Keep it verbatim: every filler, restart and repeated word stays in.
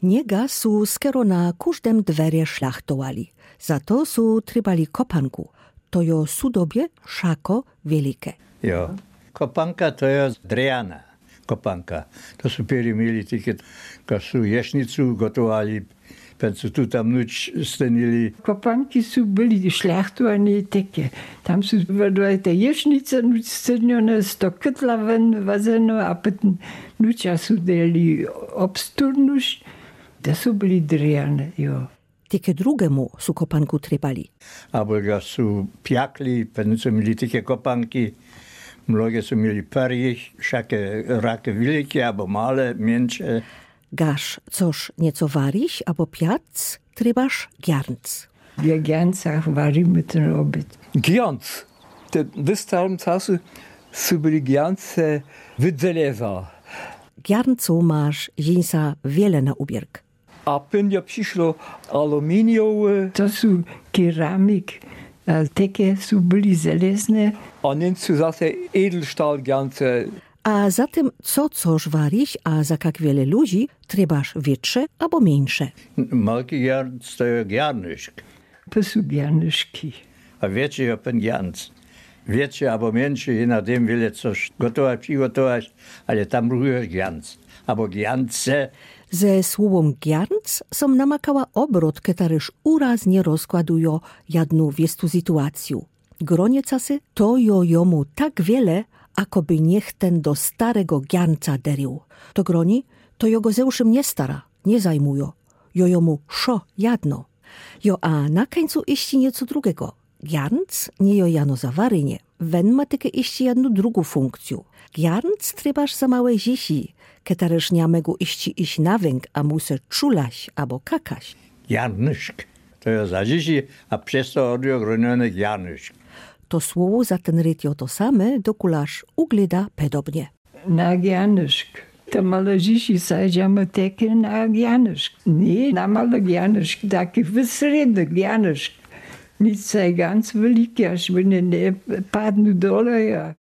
Niega su skoro na kóżdym dwerje szlachtowali. Za to su trybali kopanku. To jo sudobie szako wielike. Jo. Kopanka to jo drewniana kopanka. To su pieri mieli tiket, każ su jesznicu gotowali, pen su tu tam nuć stenili. Kopanki su byli szlachtowani teke. Tam su wydwajte jesznice nuć stenione, sto kytla wen wazeno, a pytn nucia su dali obsturnuś. Te su byli drewniane, jo. Teke drugemu su kopanku trybali. Abo ga su piakli, pen su mieli teke kopanki, mnoge su mieli perjich, szake rake wielike, abo male, mieńsze. Gaż coż nieco wariś, abo piac, trybasz giarnc. We giarncach warimy ten obiad. Giarnc. Te w starym casu su byli giarnce wydzeleza. Giarncu masz jinsa wiele na ubierk. A pynjo prziszło aluminiowe. To su keramik, a teke su byli zelezne. A nienc su zase edelstahl giarnce. A za tym, co coż wariś, a za kak wiele luzi, trybasz wietsze abo mieńsze. Malki giarnc to jo giarnyszk. To su giarnyszki. A wietszy jo pen giarnc. Wietszy abo mieńszy, je na tym wiele coż gotować, przigotować, ale tam bruchujesz giarnc. Abo giarnce. Ze słowom giarnc som namakała obrot, ketaryż uraznie rozkładujo jadnu wiestu sytuacju. Gronie casy to jo jomu tak wiele, akoby niech ten do starego giarnca derił. To groni, to jo go ze uszym nie stara, nie zajmujo. Jo jomu szo jadno. Jo, a na kańcu iście nieco drugego. Giarnc nie jo jano za warynie. Wen ma teke iście jadnu drugu funkcju. Giarnc trybasz za małe zisi, ketaryż nie mego iście iś na węg, a muse czulaś abo kakaś. Giarnyszk. To jo za zisi, a przez to odjo gronione giarnyszk. To słowo za ten ryd jo to same, dokulaż ugléda pedobnie. Na giarnyszk. Te małe zisi, sadzamy teke na giarnyszk. Nie, na małe giarnyszk, taki wysredny giarnyszk. Nick za gans wielki, aż by nie, nie padnął dole, ja.